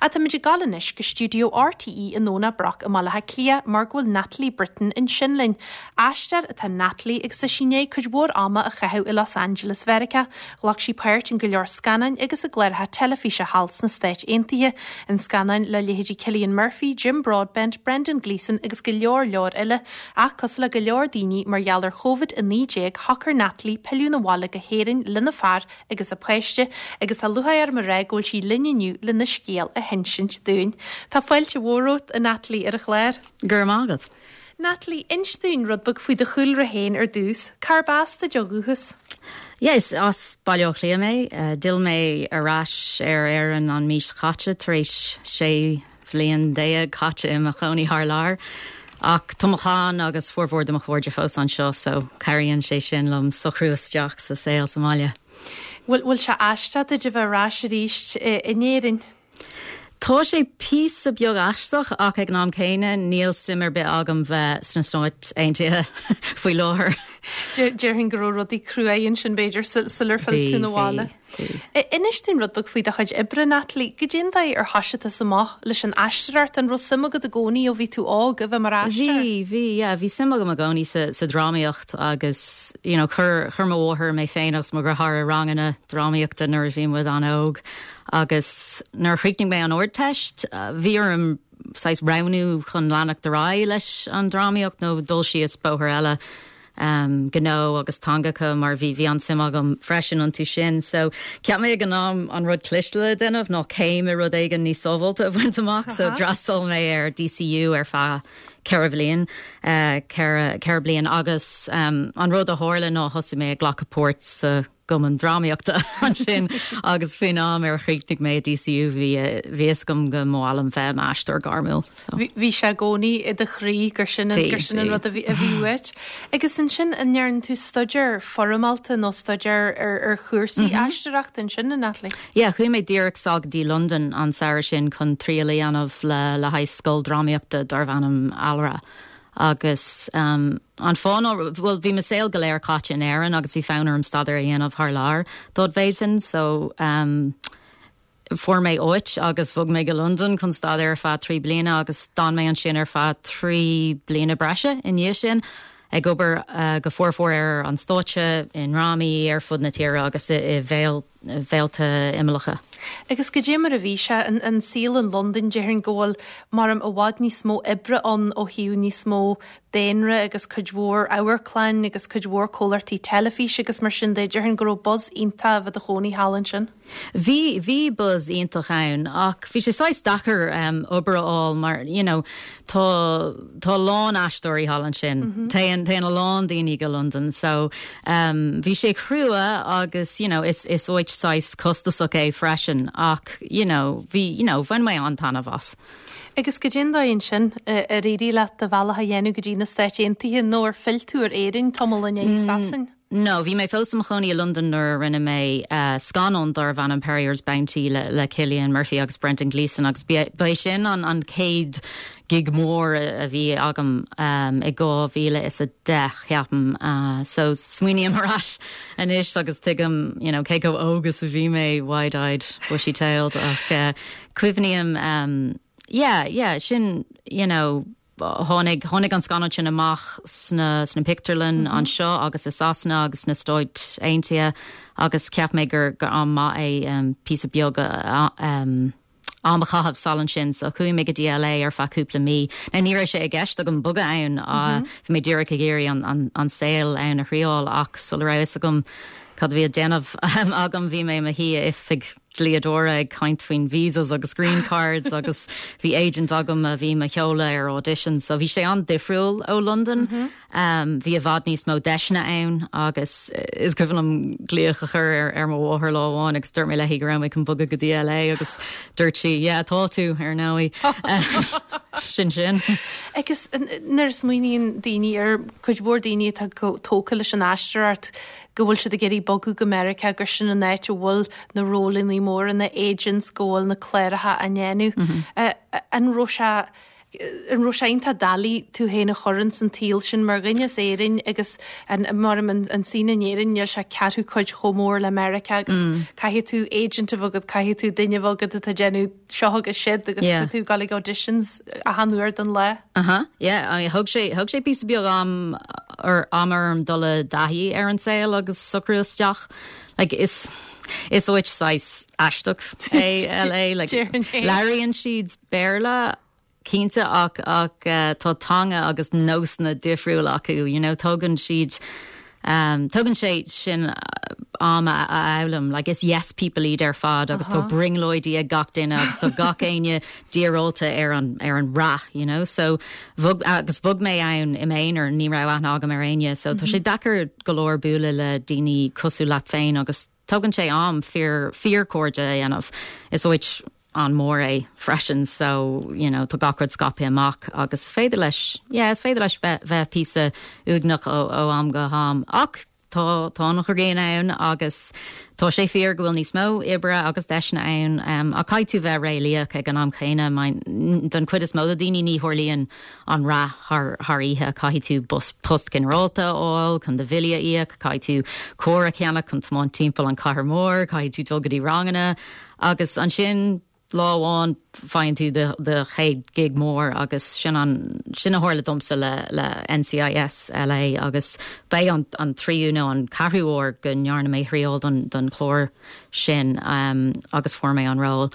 Ach táimid ag dul anois go stiúideo RTÉ i nDomhnach Broc i mBaile Átha Cliath mar go bhfuil Natalie Britton ansin linn. Aisteoir atá in Natalie agus tá sí i ndiaidh cuid mhór ama a chaitheamh i Los Angeles Mheiriceá. Ghlac sí páirt in go leor scannáin agus i gcláracha teilifíse thall sna Stáit Aontaithe, in scannáin le leithéidí Cillian Murphy, Jim Broadbent, Brendan Gleeson agus go leor leor eile. Ach cosúil le go leor daoine, mar gheall ar Covid-19 shocair Natalie pilleadh 'na bhaile go hÉirinn lena fear agus a páiste agus tá lúcháir orm a rá go bhfuil sí linn inniu lena scéal a hinsint dúinn. Tá fáilte mhór romhat, a Natalie, ar an chlár. Go raibh maith agat. Natalie, inis dúinn rud beag faoi do chúlra féin ar dtús. Cárb as duit ó dhúchas? Yeah, is as Baile Átha Cliath mé. D'fhill mé ar ais ar Éirinn an mhí seo caite tar éis 16 bhliain caite i mo chónaí thar lear. Ach tá mo chlann agus formhór de mo chairde fós anseo so cabhraíonn sé sin liom socrú isteach sa saol sa mbaile. Bhfuil, bhfuil sé aisteach duit a bheith ar ais arís in Éirinn? Tá sé píosa beag aisteach ach ag an am céanna níl suim ar bith agam bheith sna Stáit Aontaithe faoi láthair. Déarfainn go raibh rudaí cruaidh ansin b'fhéidir sular phill tú 'na bhaile. Inis dúinn rud beag faoi do chuid oibre, Natalie. Goidé an dóigh ar thoisigh tusa amach leis an aisteoireacht? An raibh suim agat i gcónaí ó bhí tú óg a bheith mar aisteoir? Bhí, bhí, yeah. Bhí suim agam i gcónaí sa, sa drámaíocht agus, you know, chuir, chuir mo mháthair mé féin agus mo dheartháir i ranganna drámaíochta nuair a bhí muid an-óg. Agus nuair a chríochnaigh mé an Ardteist, bhí orm saghas roghnú chun leanacht ar aghaidh leis an drámaíocht nó dul síos bóthar eile, gnó agus teangacha, mar bhí bhí an-suim agam freisin iontu sin. So cheap mé ag an am an rud cliste le déanamh ná céim i rud éigin níos sábháilte a bhaint amach, so d'fhreastail mé ar DCU ar feadh 4 bhliain, 4 4 bliain agus an rud a tharla ná thosaigh mé ag glacadh páirt sa gcumann drámaíochta ansin agus faoin am ar chríochnaigh mé i DCU bhí bhí fhios agam go mba mhaith liom bheith i m'aisteoir gairmiúil. So. Bhí sé i gcónaí i do chroí gur sin an gur sin an rud a bhí a bhí uait. Agus ansin an ndearna tú staidéar foirmeálta nó staidéar ar ar chúrsaí aisteoireachta ansin, a Natalie? Yeah, chuaigh mé díreach sall go dtí Londain an samhradh sin chun triail a dhéanamh le le haghaidh scoil drámaíochta darbh ainm Alra. Agus an fáth ná, bhuel, bhí mo saol go léir caite in Éirinn agus bhí fonn orm staidéar a dhéanamh thar lear dá bhféadfainn, so fuair mé áit agus bhog mé go Londain chun staidéar ar feadh 3 bliana agus d'fhan mé ansin ar feadh 3 bliana breise i ndiaidh sin, ag obair go formhór ar an stáitse, i ndrámaí ar fud na tíre agus i bhféilte imeallacha. Agus goidé mar a bhí sé, an saol in Londain, déarfainn go bhfuil, maram, i bhfad níos mó oibre ann ó thaobh níos mó daonra agus cuid mhór amharclann agus cuid mhór comhlachtaí teilifíse agus mar sin de, déarfainn go raibh buzz iontach a bheith i do chónaí thall ansin. Bhí, bhí buzz iontach ann ach bhí sé saghas deacair obair a fháil mar, you know, tá, tá a lán aisteoirí thall ansin. Téann, téann a lán daoine go Londain so bhí sé crua agus, you know, is, is áit saghas costasach é freisin ach, you know, bhí, you know, bhain mé an-taitneamh as. Agus goidé an dóigh ansin ar éirigh leat do bhealach a dhéanamh go dtí na Stáit Aontaithe nó ar phill tú ar Éirinn tamall i ndiaidh Sasain? No, bhí mé fós i mo chónaí i Londain nuair a rinne mé scannán darbh ainm Perrier's Bounty le Cillian Murphy agus Brendan Gleeson agus ba é sin an chéad gig mór a bhí agam i 2010, ceapaim. So smaoiním ar ais anois agus tuigim you know cé chomh óg is a bhí mé, wide-eyed, bushy-tailed ach cuimhním yeah, yeah, sin you know, Tháinig, tháinig an scannán sin amach sna, sna pictiúrlann anseo agus i Sasana agus sna Stáit Aontaithe agus cheap mé gur, gur am maith é píosa beag am a chaitheamh sall ansin. So chuaigh mé go dtí LA ar feadh cúpla mí. Now ní raibh sé i gceist agam bogadh ann, bhí mé díreach ag iarraidh an, an, an saol ann a thriáil ach sula raibh fhios agam cad a bhí á déanamh agam bhí mé i mo shuí i oifig dlíodóra ag caint faoin visas agus green cards agus bhí agent agam a bhí mo sheoladh ar auditions so bhí sé an-difriúil ó Londain. Bhí i bhfad níos mó deiseanna ann agus is cuimhin liom glaoch a chur ar ar mo mháthair lá amháin agus dúirt mé léi go raibh mé chun bogadh go dtí LA agus dúirt sí yeah tá tú ar ndóigh. Sin sin. Agus nuair a smaoiníonn daoine ar cuid mhór daoine atá tógtha leis an aisteoireacht go bhfuil siad ag iarraidh bogadh go Meiriceá, gur sin an áit a bhfuil na rólanna móra, na agents, go bhfuil na cláracha á ndéanamh. An raibh sé. An raibh sé iontach doiligh tú féin a chur ins an tsaol sin mar dhuine as Éirinn agus an mar an an scene in Éirinn níl sé ceathrú cuid chomh mór le Meiriceá agus caithfidh tú agent a bheith agat, caithfidh tú duine a bheith agat atá ag déanamh seo agus siúd agus tá tú ag dul ag auditions achan uair den lá. Uh-huh, yeah, I mean, thug sé, thug sé píosa beag am ar, am orm dul i dtaithí ar an saol agus socrú isteach. Like, is, is áit saghas aisteach é LA, like, labhraíonn siad Béarla cinnte ach, ach tá teanga agus nósanna difriúla acu, you know, tógann siad, tógann sé sin am a fhoghlaim, like is yes people iad ar fad agus tá brionglóidí ag gach duine agus tá gach éinne díreoilte ar an, ar an rath, you know, so bhog, agus bhog mé ann i m'aonar, ní raibh aithne agam ar éinne, so tá sé deacair go leor bualadh le daoine cosúil leat féin agus tógann sé am fíor, fíorchairde a dhéanamh. Is áit an-mhór é freisin so, you know, tá gach rud scaipthe amach agus is féidir leis, yeah, is féidir leis bheith, bheith píosa uaigneach ó, ó am go ham. Ach tá, tá an ghrian ann agus tá sé fíor go bhfuil níos mó oibre agus deiseanna ann um, ach caithfidh tú bheith réalaíoch ag an am chéanna, don chuid is mó de daoine ní tharlaíonn an rath thar oíche. Caithfidh tú bus post ginearálta a fháil chun do bhillí a íoc, caithfidh tú carr a cheannach chun tiomáint timpeall an chathair mhór, caithfidh tú dul go dtí ranganna agus ansin lá amháin faigheann tú do do chéad gig mór agus sin an sin a tharla domsa le le NCIS LA agus b'é an an tríú nó an ceathrú uair go ndearna mé thriail don don chlár sin um, agus fuair mé an ról.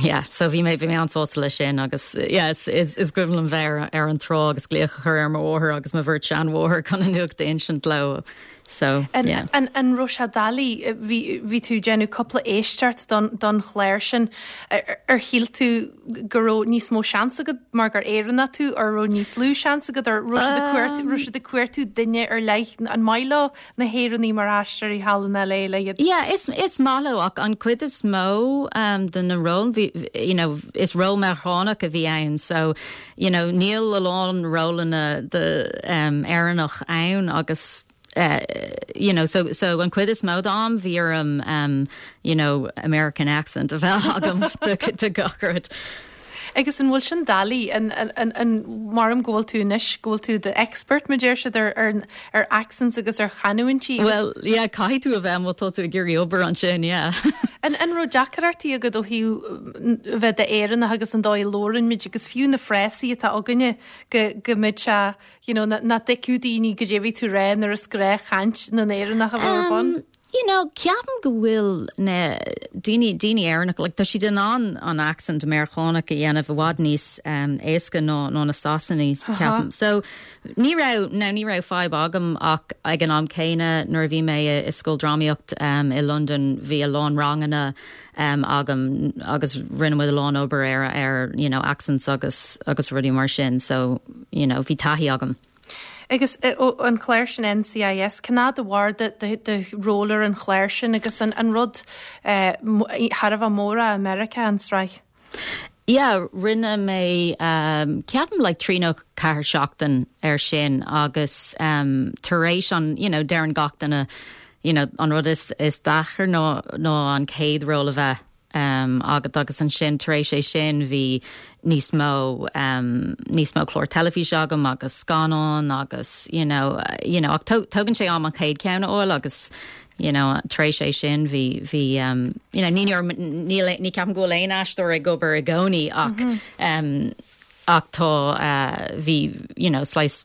Yeah, so bhí mé bhí mé an-sásta leis sin agus yeah, is, is, is cuimhin liom bheith ar, ar an trá agus glaoch a chur ar mo mháthair agus mo bheirt seanmháthair chun an nuacht a insint leo. So, An, yeah. an, an raibh sé doiligh, bhí, bhí tú ag déanamh cúpla éisteacht don, don chlár sin, ar, ar shíl tú go raibh níos mó seans agat mar gur Éireannach tú, ar raibh níos lú seans agat, ar raibh siad ag cuartú, raibh siad ag cuartú duine ar leith, an maith leo na hÉireannaigh mar aisteoirí thall in LA le iad. Yeah, is is maith leo ach an cuid is mó um, de na ról bhí you know, is ról Meiriceánach a bhí ann so you know, níl a lán rólanna de um, Éireannach ann agus uh, you know, so, so an cuid is mó d'am bhí orm um, you know, American accent a bheith agam do, do gach rud. Agus an bhfuil sin doiligh, an, an, an, an, maram go bhfuil tú anois, go bhfuil tú the expert, mar deir siad, ar, ar, ar accents agus ar chanúintí agus. Well, yeah, caithfidh tú a bheith má tá tú ag iarraidh obair ansin, yeah. An, an raibh deacrachtaí agat ó thaobh a bheith d'Éireannach agus an dóigh a labhrann muid agus fiú na frásaí atá againne go, go mbeadh sé, you know, nach dtuigfeadh daoine goidé a bhí tú rá nuair is gnáthchaint na nÉireannach a bheadh ar bun? You know, ceapaim go bhfuil na daoine, daoine Éireannacha, like, tá siad in ann an accent Meiriceánach a dhéanamh i bhfad níos um, éasca ná, ná na Sasanaigh, ceapaim. So, ní raibh, now, ní raibh fadhb agam ach ag an am céanna nuair a bhí mé i, i scoil drámaíocht um, i Londain, bhí a lán ranganna um, agam agus rinne muid a lán obair ar, ar, you know, accents agus, agus rudaí mar sin. So, you know, bhí taithí agam. Agus an clár sin NCIS, cén fhad a mhair do ról ar an chlár sin agus an rud thar a bheith mór é i Meiriceá, an tsraith? Yeah, rinne mé ceapaim like 3 nó 4 seachtain ar sin agus tar éis an, you know, deireann gach duine, you know, an rud is is deacair ná ná an chéad ról a bheith agat agus ansin tar éis é sin bhí níos mó níos mó clár teilifíse agam agus scannán agus you know you know ach tógann sé am an chéad ceann a fháil agus you know tar éis é sin bhí bhí you know ní níl ní ceapaim go bhfuil aon aisteoir ag obair i gcónaí ach ach tá bhí you know slice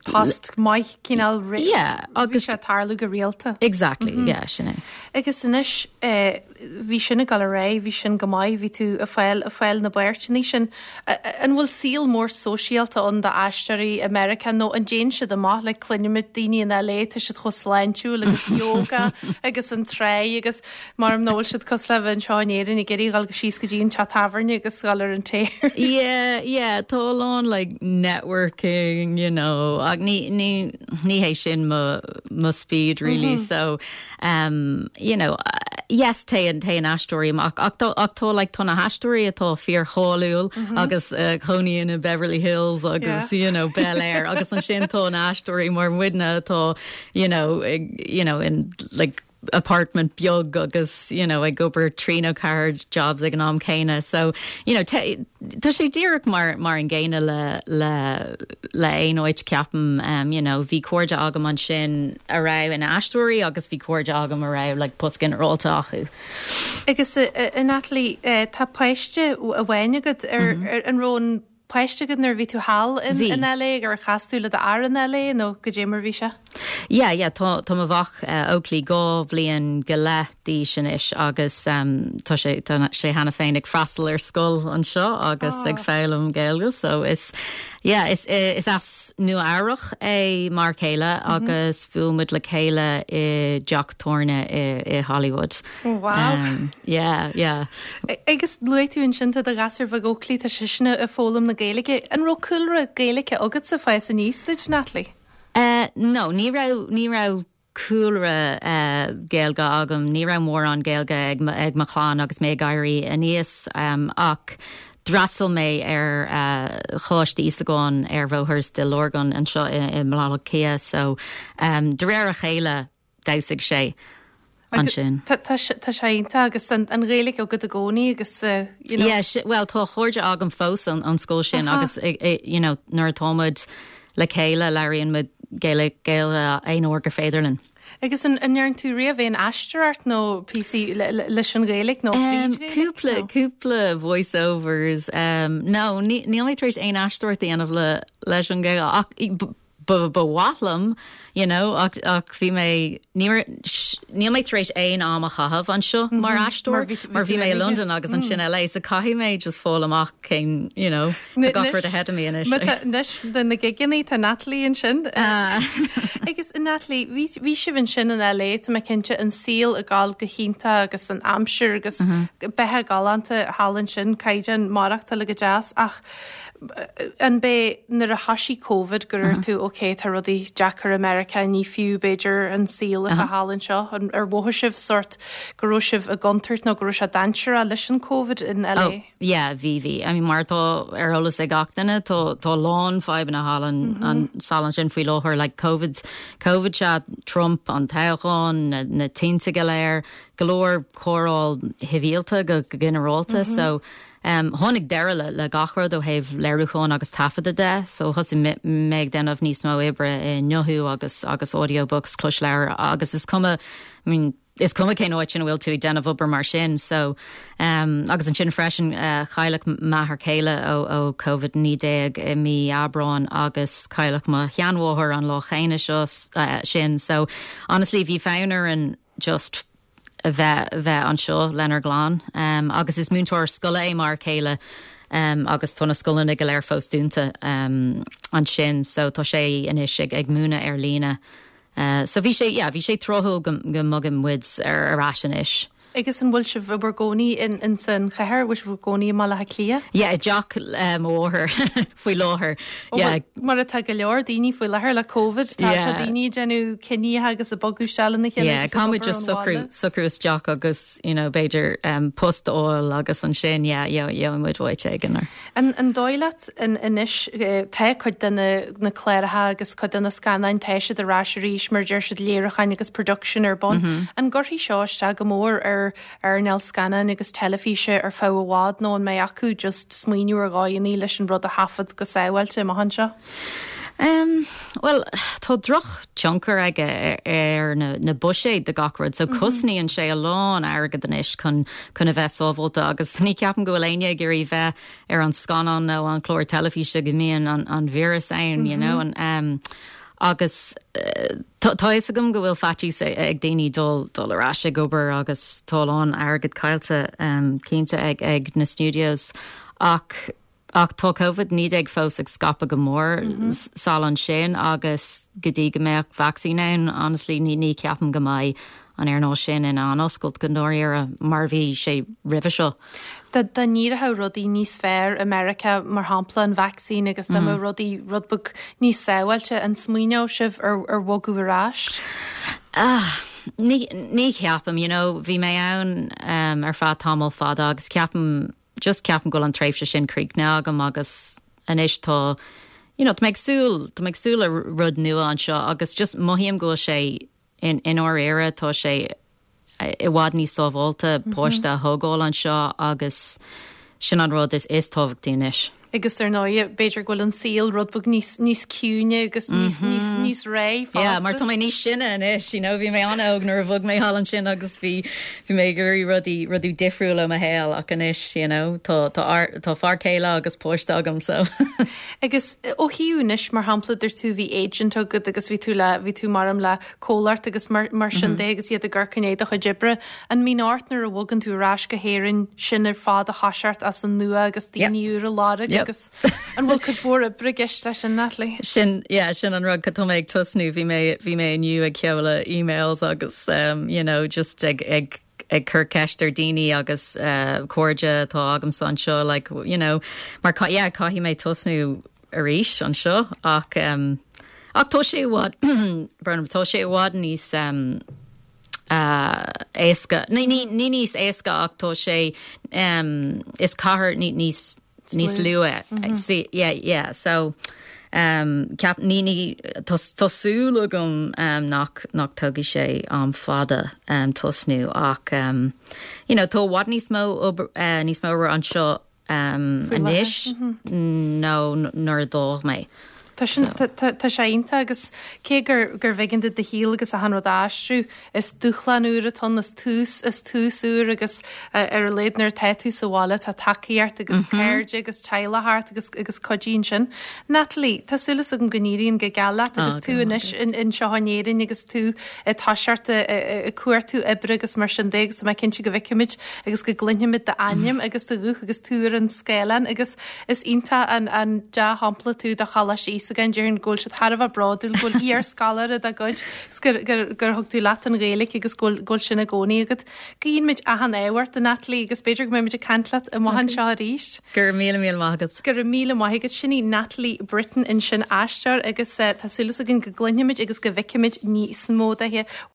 Post maith cineál Yeah, agus bhí sé ag tarlú go rialta. Exactly, yeah, sin é. Agus anois bhí sin ag dul ar aghaidh, bhí sin go maith, bhí tú ag fáil, ag fáil na bpáirteanna sin. An bhfuil saol mór sóisialta ann d'aisteoirí i Meiriceá nó an dtéann siad amach like cluinimid daoine in LA, tá siad chomh sláintiúil agus yoga agus an tráigh agus Maram nach bhfuil siad cosúil le bheith anseo in Éirinn ag iarraidh dhul síos go dtí an teach tábhairne agus dhul ar an tear. Yeah, yeah, tá a lán like networking, you know, ach ní, ní, ní hé sin mo, mo speed really, so, um, you know, yes, téann, téann aisteoirí amach, ach tá, ach tá like tá na haisteoirí atá fíorcháiliúil agus uh, cónaíonn i Beverly Hills agus, you know, Bel Air, agus ansin tá na haisteoirí mar muidne atá, you know, ag, you know, in like, apartment beag agus you know ag obair 3 nó 4 jobs ag an am céanna so you know tá sé díreach mar mar an gcéanna le le le aon áit ceapaim um, you know bhí cairde agam ansin a raibh ina aisteoirí agus bhí cairde agam a raibh like post ginearálta acu. Agus a Natalie tá páiste amháin agat ar ar an raibh an páiste agat nuair a bhí tú thall in Bhí. in LA ar chas tú le d'fhear in LA nó goidé mar bhí sé? Yeah, yeah, tá tá mo mhac Oakley 2 bhliain go leith d'aois anois agus tá sé tá sé cheana féin ag freastal ar scoil anseo agus ag foghlaim Gaeilge so is yeah is is as Nua Eabhrach é m'fhear céile agus bhuail muid le chéile i dteach tábhairne i i Hollywood. Oh wow. Yeah, yeah. Agus luaigh tú ansin tá do ghasúr bheag Oakley, tá seisean ag foghlaim na Gaeilge. An raibh cúlra Gaeilge agatsa ag fás aníos duit, Natalie? No, ní raibh, ní raibh cúlra Gaeilge agam. Ní raibh mórán Gaeilge ag ag mo chlann agus mé ag éirí aníos ach d'fhreastail mé ar Choláiste Íosagáin ar Bhóthar Stigh Lorgan anseo i mBaile Átha Cliath so de réir a chéile d'fheabhsaigh sé ansin. Tá sé iontach agus an Ghaeilge agat i gcónaí agus you know. Yeah, bhuel tá cairde agam fós ón scoil sin agus you know nuair atá muid le chéile labhraíonn muid Gaeilge aon uair gur féidir linn. Agus an ndearna tú riamh aon aisteoireacht nó píosaí leis an Ghaeilge nó fríd Ghaeilge? Cúpla, cúpla voice overs. No, níl mé tar éis aon aisteoireacht a dhéanamh leis an Ghaeilge ach ba mhaith liom, you know, ach, ach bhí mé, ní raibh, níl mé tar éis aon am a chaitheamh anseo mar aisteoir, mar bhí mé i Londain agus ansin LA, so caithfidh mé just fáil amach cén, you know, tá gach rud ahead of me anois. Anois do na gigeanna tá Natalie ansin. Agus Natalie, bhí, bhí sibh ansin in LA, tá mé cinnte, an saol ag gabháil go hiontach agus an aimsir agus beatha galánta thall ansin, caighdeán maireachtála go deas ach An b'é nuair a thoisigh Covid gur dhúirt tú ok tá rudaí deacair i Meiriceá ní fiú b'fhéidir an saol atá thall anseo, ar mhothaigh sibh sórt go raibh sibh i gcontúirt nó go raibh sé dainséarach leis an Covid in LA? Oh yeah bhí bhí. I mean mar atá ar eolas ag gach duine tá tá a lán fadhbanna thall an sall ansin faoi láthair like Covid Covid sea Trump an toghchán na na tinte go léir go leor cóireáil shibhialta go ginearálta so Tháinig deireadh le gach rud ó thaobh léiriúcháin agus taifeadta de, so thosaigh mé ag déanamh níos mó oibre i nguthú agus agus audiobooks, closleabhair, agus is cuma, I mean, is cuma cén áit ina bhfuil tú ag déanamh obair mar sin. So, agus ansin freisin, cailleadh m'athair céile ó ó Covid-19 i mí Aibreáin agus cailleadh mo sheanmháthair an lá chéanna seo sin. So, honestly, bhí fonn orainn just a bheith bheith anseo lenár gclann. Agus is múinteoir scoile é m'fhear céile agus tá na scoileanna go léir fós dúnta ansin so tá sé anois ag ag múineadh ar líne. So bhí sé yeah bhí sé tráthúil go go mbogann muid ar ar ais anois. Agus an bhfuil sibh i bhur gcónaí in in san chathair, bhfuil sibh i bhur gcónaí i mBaile Átha Cliath? Yeah i dteach mo mháthar faoi láthair. Yeah. Mar atá go leor daoine faoi láthair le Covid, tá tá daoine ag déanamh cinníocha agus ag bogadh isteach lena chéile agus ag obair ón bhaile. Socrú isteach agus you know b'fhéidir post a fháil agus ansin yeah gheobhaidh muid áit éigin or. An an dóigh leat anois tá cuid de na na cláracha agus cuid de na scannáin tá siad ar ais arís mar deir siad léiriúcháin agus production ar bun. An gcuirfidh seo isteach go mór ar earnáil scannáin agus teilifíse ar feadh i bhfad nó an mbeidh acu just smaoineamh ar dhóigheanna leis an rud a thaifead go sábháilte amach anseo? Em, bhuel, tá drochthionchar aige ar na, na buiséid do gach rud, so cosnaíonn sé a lán airgead anois chun, chun a bheith sábháilte agus ní ceapaim go bhfuil éinne ag iarraidh bheith ar an scannán nó an clár teilifíse go mbíonn an, an víreas ann, you know, an, em, agus tá, tá fhios agam go bhfuil faitíos ag daoine dul, dul ar ais ag obair agus tá a lán airgead caillte, em, cinnte ag, ag na studios ach, Ach tá Covid-19 fós ag scaipeadh go mór sall ansin agus go dtí go mbeadh vacsaín ann, honestly, ní ní ceapaim go mbeidh an earnáil sin in ann oscailt go ndáiríre mar a bhí sé roimhe seo. Dá dá n-éireodh rudaí níos fearr i Meiriceá, mar shampla an vacsaín agus dá mbeadh rudaí rud beag níos sábháilte, an smaoineodh sibh ar ar bhogadh ar ais? Ah, ní ní cheapaim, you know, bhí mé ann ar feadh tamall fada agus ceapaim just ceapaim go bhfuil an tréimhse sin críochnaithe agam agus anois tá you know tá mé ag súil tá mé ag súil le rud nua anseo agus just mothaím go bhfuil sé in i ndáiríre tá sé. i bhfad níos sábháilte páiste a thógáil anseo agus sin an rud is is tábhachtaí anois. Agus ar ndóigh, b'fhéidir go bhfuil an saol rud beag níos níos ciúine agus níos níos níos réidh fosta. Yeah, mar tá mé níos sine anois, you know, bhí mé an-óg nuair a bhog mé thall ansin agus bhí bhí mé ag iarraidh rudaí rudaí difriúla i mo shaol ach anois, you know, tá tá tá fear céile agus páiste agam so. Agus ó thaobh anois, mar shampla, dúirt tú bhí agent agat agus bhí tú le bhí tú mar le comhlacht agus mar mar sin de agus iad ag amharc i ndiaidh do chuid oibre. An mbíonn ort nuair a bhogann tú ar ais go hÉirinn sin ar fad a thoiseacht as an nua agus daoine úra a lorg agus an bhfuil cuid mhór oibre i gceist leis sin, Natalie? Sin, yeah, sin an rud tá mé ag tosnú, bhí mé, bhí mé inniu ag seoladh emails agus um, you know, just ag, ag, ag cur ceist ar daoine agus uh, cairde atá agamsa anseo, like, you know, mar yeah, caithfidh mé tosnú arís anseo ach um, ach tá sé i bhfad brón tá sé i bhfad níos um, uh, éasca ní, ní, ní níos éasca ach tá sé um, is cathair ní, níos níos lú é mm -hmm. sí, yeah, yeah, so um, ceap ní ní tá tá súil agam um, nach nach tógfaidh sé am fada um, tosnú ach um, you know, tá i bhfad níos mó uh, níos mó obair anseo anois ná nuair a d'fhág mé. Tá sin, tá sé iontach agus cé gur gurbh éigean duit do shaol agus achan rud a aistriú, is dúshlán úr atá ann, is tús, is tús úr agus ar a laghad nuair atá tú sa bhaile tá tacaíocht agus cairde agus teaghlach thart agus agus cuidíonn sin. Natalie, tá súil agam go n-éiríonn go geal leat agus tú anois anseo in Éirinn agus tú ag toiseacht ag cuartú oibre agus mar sin de agus tá mé cinnte go bhfeicfimid agus go gcluinfimid d'ainm agus do ghuth agus tú ar an scáileán agus is iontach an an dea-shampla tú do Choláiste Íosagáin, déarfainn go bhfuil siad thar a bheith bródúil go bhfuil iar-scoláire dá gcuid agus gur gur gur thug tú leat an Ghaeilge agus go bhfuil go bhfuil sin i gcónaí agat. Guíonn muid achan ádh ort, a Natalie, agus b'fhéidir go mbeidh muid ag caint leat amach anseo arís. Go raibh míle míle maith agat. Go raibh míle maith agat. Sin í Natalie Britton ansin, aisteoir agus tá súil againn go gcluinfimid agus go bhfeicfimid níos mó di.